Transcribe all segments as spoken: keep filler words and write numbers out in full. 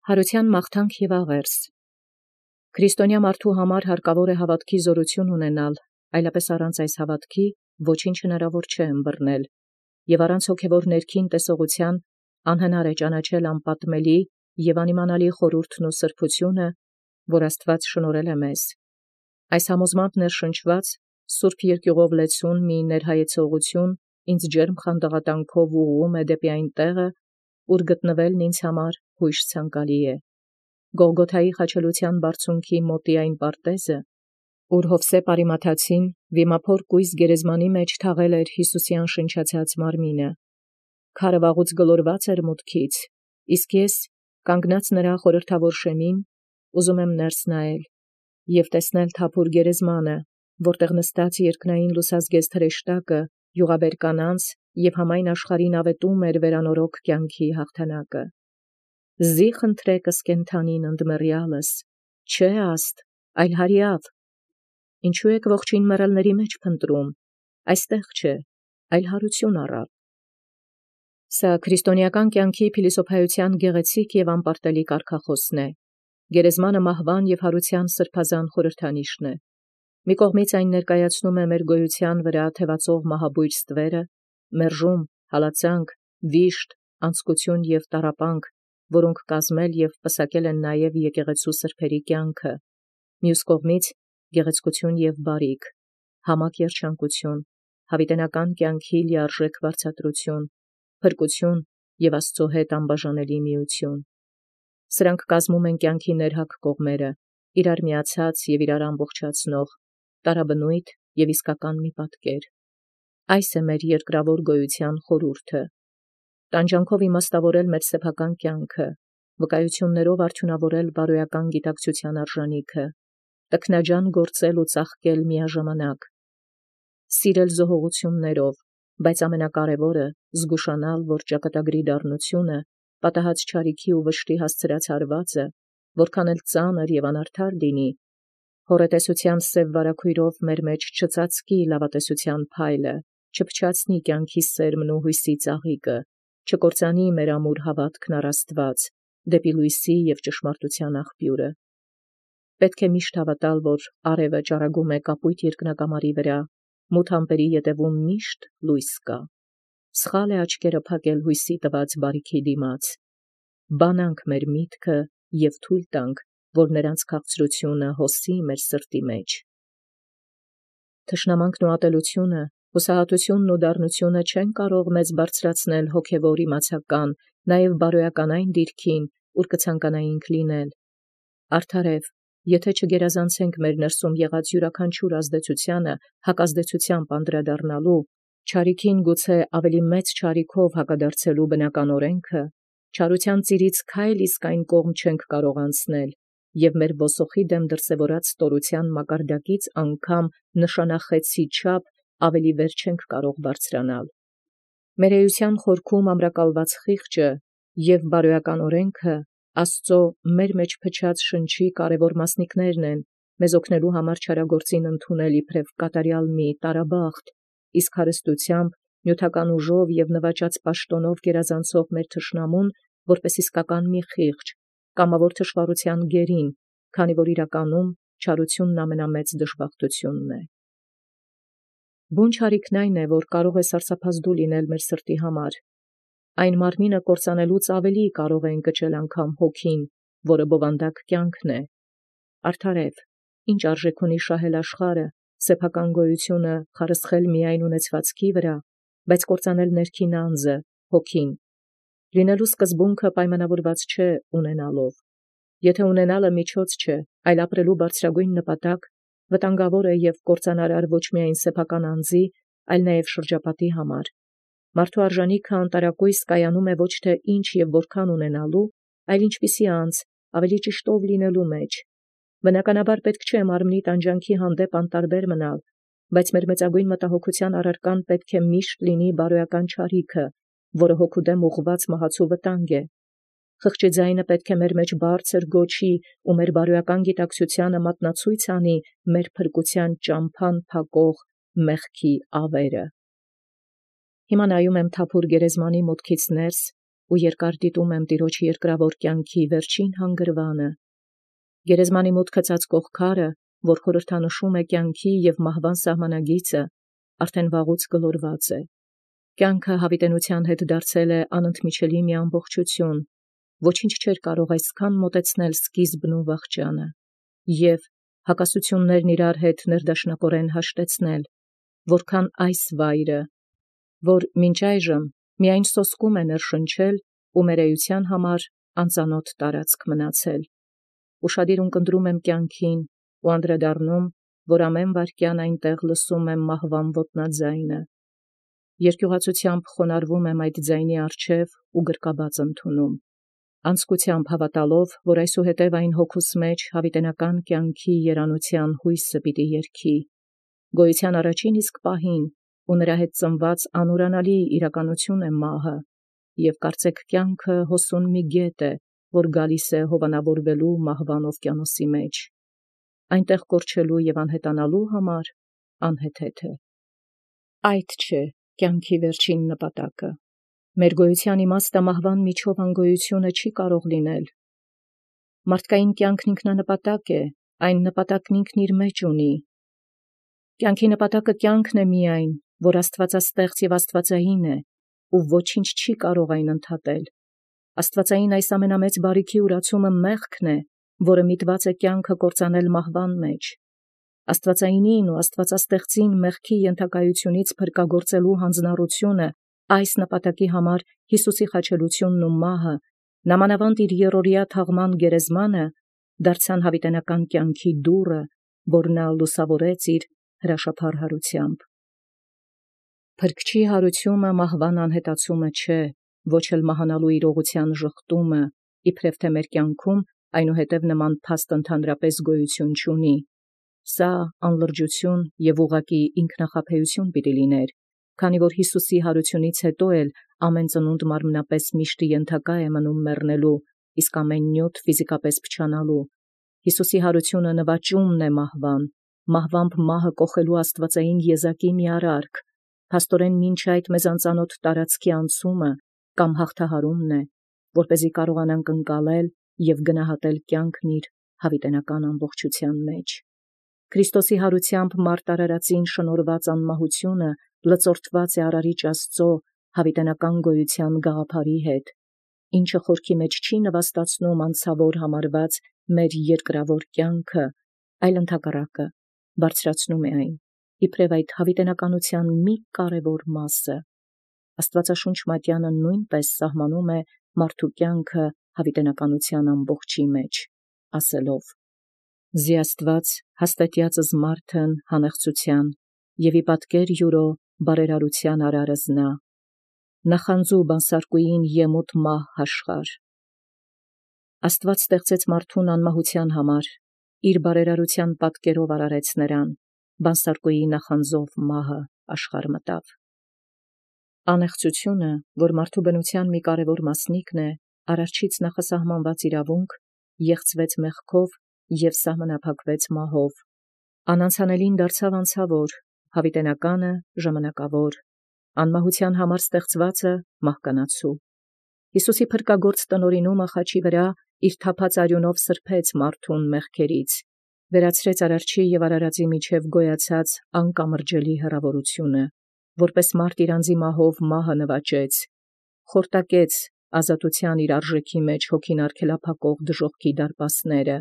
Հարության մաղթանք և աղերս։ Քրիստոնյա մարդու համար հարկավոր է հավատքի զորություն ունենալ, այլապես առանց այս հավատքի ոչինչ հնարավոր չէ ըմբռնել, և առանց հոգևոր ներքին տեսողության անհնար է ճանաչել անպատմելի և անիմանալի խորհուրդն ու սրբությունը, որ Աստված շնորհել է մեզ։ Այս համոզմամբ ներշնչված սուրբ երկյուղով լեցուն մի ներհայեցողություն ինձ ջերմ խանդաղատանքով ուղղում է դեպի այն տեղը, ուր գտնվելն ինձ համար հույժ ցանկալի է։ Գողգոթայի խաչելության բարձունքի մոտի այն պարտեզը, ուր Յովսեփ Արիմաթացին վիմափոր կույս գերեզմանի մեջ թաղել էր Յիսուսյան շնչացած մարմինը։ Քարը վաղուց գլորված էր մուտքից, իսկ ես կանգնած նրա խորհրդավոր շեմին, ուզում եմ ներս նայել և տեսնել թափուր գերեզմանը, որտեղ նստած երկնային լուսազգեստ հրեշտակը, յուղաբեր կանանց և համայն աշխարհին ավետում էր վերանորոգ կյանքի հաղթանակը։ Զի խնդրեկս կենթանին ընդմեռյալս, չէ աստ, այլ հարյավ։ Ինչու եք ողջին մեռելների մեջ փնտրում, այստեղ չէ, այլ հարություն առավ։ Սա քրիստոնեական կյանքի փիլիսոփայության գեղեցիկ և անպարտելի կարգախոսն է։ Գերեզմանը մահվան և հարության սրբազան խորհրդանիշն է։ Մի կողմից այն ներկայացնում է մեր գոյության վրա թևածող մահաբույր ստվերը, մերժում, հալածանք, վիշտ, անձկություն և տառապանք, որոնք կազմել և պսակել են նաև եկեղեցու սրբերի կյանքը, մյուս կողմից գեղեցկություն և բարիք, համակ երջանկություն, հավիտենական կյանքի լիարժեք վարձատրություն, փրկություն և Աստծո հետ անբաժանելի միություն։ Սրանք կազմում են կյանքի ներհակ կողմերը, իրար միացած և իրար ամբողջացնող, տարաբնույթ և իսկական մի պատկեր։ Այս է մեր երկրավոր գոյության խորհուրդը։ Տանջանքով իմաստավորել մեր սեփական կյանքը, վկայություններով արդյունավորել բարոյական գիտակցության արժանիքը, տքնաջան գործել ու ծաղկել միաժամանակ, սիրել զոհողություններով, բայց ամենակարևորը զգուշանալ, որ ճակատագրի դառնությունը, պատահած չարիքի ու վշտի հասցրած հարվածը, որքան էլ ծանր և անարդար լինի, հոռետեսության սև վարագույրով մեր մեջ չծածկի լավատեսության փայլը, չփչացնի կյանքի սերմն ու հույսի ծաղիկը, չկործանի մեր ամուր հավատքն առ Աստված, դեպի լույսի և ճշմարտության աղբյուրը։ Պետք է միշտ հավատալ, որ արևը ճառագում է կապույտ երկնակամարի վրա, մութ ամպերի ետևում միշտ լույս կա։ Սխալ է աչքերը փակել հույսի տված բարիքի դիմաց։ Բանանք մեր միտքը և թույլ տանք, որ նրանց քաղցրությունը հոսի մեր սրտի մեջ։ Թշնամանքն ու ատելությունը, հուսահատությունն ու դառնությունը չեն կարող մեզ բարձրացնել հոգևոր իմացական, նաև բարոյական այն դիրքին, ուր կցանկանայինք լինել։ Արդարև, եթե չգերազանցենք մեր ներսում եղած յուրաքանչյուր ազդեցությանը հակազդեցությամբ անդրադառնալու, չարիքին գուցե ավելի մեծ չարիքով հակադարձելու բնական օրենքը, չարության ծիրից քայլ իսկ այն կողմ չենք կարող անցնել, և մեր ոսոխի դեմ դրսևորած ստորության մակարդակից անգամ նշանախեցի չափ ավելի վեր չենք կարող բարձրանալ։ Մեր էության խորքում ամրակալված խիղճը և բարոյական օրենքը Աստծո մեր մեջ փչած շնչի կարևոր մասնիկներն են, մեզ օգնելու համար չարագործին ընդունել իբրև կատարյալ մի տարաբախտ, իսկ հարստությամբ, նյութական ուժով և նվաճած պաշտոնով գերազանցող մեր թշնամուն որպես իսկական մի խիղճ, կամավոր թշվառության գերին, քանի որ իրականում չարությունն ամենամեծ դժբախտությունն է։ Բուն չարիքն այն է, որ կարող է սարսափազդու լինել մեր սրտի համար։ Այն մարմինը կործանելուց ավելի կարող է ընկճել անգամ հոգին, որը բովանդակ կյանքն է։ Արդարև, ինչ արժեք ունի շահել աշխարհը, սեփական գոյությունը խարսխել միայն ունեցվածքի վրա, բայց կործանել ներքին անձը, հոգին։ Լինելու սկզբունքը պայմանավորված չէ ունենալով։ Եթե ունենալը միջոց չէ, այլ ապրելու բարձրագույն նպատակ, վտանգավոր է և կործանարար ոչ միայն սեփական անձի, այլ նաև շրջապատի համար։ Մարդու արժանիքը անտարակույս կայանում է ոչ թե ինչ և որքան ունենալու, այլ ինչպիսի անձ, ավելի ճիշտ ով լինելու մեջ։ Բնականաբար պետք չէ մարմնի տանջանքի հանդեպ անտարբեր մնալ, բայց մեր մեծագույն մտահոգության առարկան պետք է միշտ լինի բարոյական չարիքը, որը հոգու դեմ ուղղված մահացու վտանգ է։ Խղճի ձայնը պետք է մեր մեջ բարձր գոչի ու մեր բարոյական գիտակցությանը մատնացույց անի մեր փրկության ճամփան փակող մեղքի ավերը։ Հիմա նայում եմ թափուր գերեզմանի մուտքից ներս ու երկար դիտում եմ տիրոջ երկրավոր կյանքի վերջին հանգրվանը։ Գերեզմանի մուտքը ծածկող քարը, որ խորհրդանշում է կյանքի և մահվան սահմանագիծը, արդեն վաղուց գլորված է։ Կյանքը հավիտենության հետ դարձել է անընդմիջելի մի ամբողջություն, ոչինչ չէր կարող այսքան մոտեցնել սկիզբն ու վախճանը, և հակասություններն իրար հետ ներդաշնակորեն հաշտեցնել, որքան այս վայրը, որ մինչ այժմ միայն սոսկում է ներշնչել ու մեր էության համար անծանոթ տարածք մնացել։ Ուշադիր ունկնդրում եմ կյանքին ու անդրադառնում, որ ամեն վայրկյան այնտեղ լսում եմ մահվան ոտնաձայնը։ Երկյուղացությամբ խոնարհվում եմ այդ ձայնի առջև ու գրկաբաց ընդունում, անձկությամբ հավատալով, որ այսուհետև այն հոգուս մեջ հավիտենական կյանքի երանության հույսը պիտի երգի, գոյության առաջին իսկ պահին, ու նրա հետ ծնված անուրանալի իրականություն է մահը, և կարծեք կյանքը հոսուն մի գետ է, որ գալիս է հովանավորվելու մահվան օվկիանոսի մեջ, այնտեղ կորչելու և անհետանալու համար անհեթեթ է։ Այդ չէ կյանքի վերջին նպատակը։ Մեր գոյության իմաստը մահվան միջով անգոյությունը չի կարող լինել։ Մարդկային կյանքն ինքնանպատակ է, այն նպատակն ինքն իր մեջ ունի։ Կյանքի նպատակը կյանքն է միայն, որ աստվածաստեղծ և աստվածային է, ու ոչինչ չի կարող այն ընդհատել։ Աստվածային այս ամենամեծ բարիքի ուրացումը մեղքն է, որը միտված է կյանքը կործանել մահվան մեջ։ Աստվածայինին ու աստվածաստեղծին մեղքի ենթակայությունից փրկագործելու հանձնառությունը, այս նպատակի համար Հիսուսի խաչելությունն ու մահը, նամանավանդ իր եռօրյա թաղման գերեզմանը, դարձան հավիտենական կյանքի դուռը, որ նա լուսավորեց իր հրաշափառ հարությամբ։ Փրկչի հարությունը մահվան անհետացումը չէ, ոչ էլ մահանալու իրողության ժխտումը, իբրև թե մեր կյանքում այնուհետև նման փաստ ընդհանրապես գոյություն չունի։ Սա անլրջություն և ուղղակի ինքնախաբեություն պիտի լիներ, քանի որ Հիսուսի հարությունից հետո էլ ամեն ծնունդ մարմնապես միշտ ենթակա է մնում մեռնելու, իսկ ամեն նյութ ֆիզիկապես փչանալու։ Հիսուսի հարությունը նվաճումն է մահվան, մահվամբ մահը կոխելու աստվածային եզակի մի արարք, փաստորեն մինչ այդ մեզ անծանոթ տարածքի անցումը կամ հաղթահարումն է, որպեսզի կարողանանք ընկալել և գնահատել կյանքն իր հավիտենական ամբողջության մեջ։ Քրիստոսի հարությամբ մարդ արարածին շնորհված անմահությունը լծորտված է արարիչ Աստծո հավիտենական գոյության գաղափարի հետ, ինչը խորքի մեջ չի նվաստացնում անցավոր համարված մեր երկրավոր կյանքը, այլ ընդհակառակը բարձրացնում է այն, իբրև այդ հավիտենականության մի կարևոր մասը։ Աստվածաշունչ մատյանը նույնպես սահմանում է մարդու կյանքը հավիտենականության ամբողջի մեջ, ասելով. «Զի Աստված հաստատյածս մարդն հանեղծության, և ի պատկեր յուրո բարերարության արարս նա, նախանձու բանսարկուին եմուտ մահ հաշխար»։ Աստված ստեղծեց մարդուն անմահության համար, իր բարերարության պատկերով արարեց նրան, բանսարկուի նախանձով մահը աշխարհ մտավ։ Անեղծությունը, որ մարդու բնության մի կարևոր մասնիկն է, արարչից նախասահմանված իրավունք, եղծվեց մեղքով և սահմանափակվեց մահով։ Անանցանելին դարձավ անցավոր, հավիտենականը ժամանակավոր, անմահության համար ստեղծվածը մահկանացու։ Հիսուսի փրկագործ տնօրինումը խաչի վրա իր թափած արյունով սրբեց մարդուն մեղքերից, վերացրեց արարչի և արարածի միջև գոյացած անկամրջելի հեռավորությունը, որպես մարդ իր անձի մահով մահը նվաճեց, խորտակեց ազատության իր արժեքի մեջ հոգին արգելափակող դժոխքի դարպասները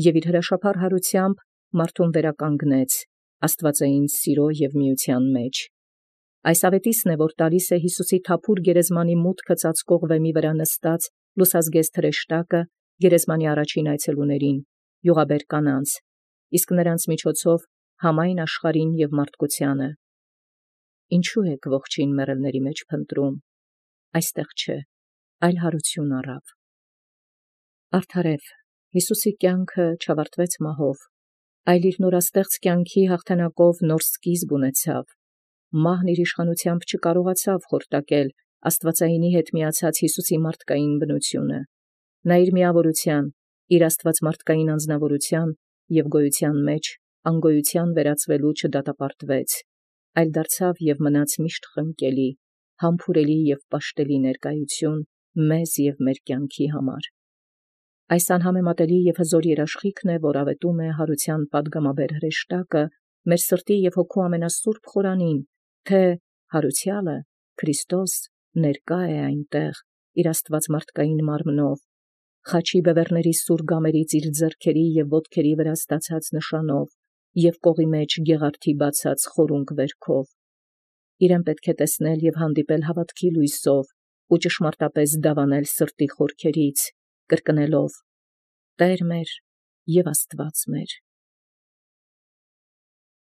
և իր հրաշափառ հարությամբ մարդուն վերականգնեց աստվածային սիրո և միության մեջ։ Այս ավետիսն է, որ տալիս է Հիսուսի թափուր գերեզմանի մուտքը ծածկող վեմի վրա նստած լուսազգեստ հրեշտակը գերեզմանի առաջին այցելուներին, յուղաբեր կանանց, իսկ նրանց միջոցով համայն աշխարհին և մարդկությանը։ Ինչու եք ողջին մեռելների մեջ փնտրում, այստեղ չէ, այլ հարություն առավ։ Արդարև Հիսուսի կյանքը չավարտվեց մահով, այլ իր նորաստեղծ կյանքի հաղթանակով նոր սկիզբ ունեցավ։ Մահն իր իշխանությամբ չկարողացավ խորտակել աստվածայինի հետ միացած Հիսուսի մարդկային բնությունը։ Նա իր միավորության, իր աստված մարդկային անձնավորության և գոյության մեջ անգոյության վերածվելու չդատապարտվեց, այլ դարձավ և մնաց միշտ խնկելի, համբուրելի և պաշտելի ներկայություն մեզ և մեր կյանքի համար։ Այս անհամեմատելի և հզոր երաշխիքն է, որ ավետում է հարության պատգամաբեր հրեշտակը մեր սրտի և հոգու ամենասուրբ խորանին, թե հարությալը Քրիստոս ներկա է այնտեղ իր աստվածմարդկային մարմնով, խաչի բևեռների սուր գամերից իր ձեռքերի և ոտքերի վրա ստացած նշանով և կողի մեջ գեղարդի բացած խորունկ վերքով։ Իրեն պետք է տեսնել և հանդիպել հավատքի լույսով ու ճշմարտապես դավանել սրտի խորքերից, կրկնելով. «Տե՛ր մեր և Աստված մեր»։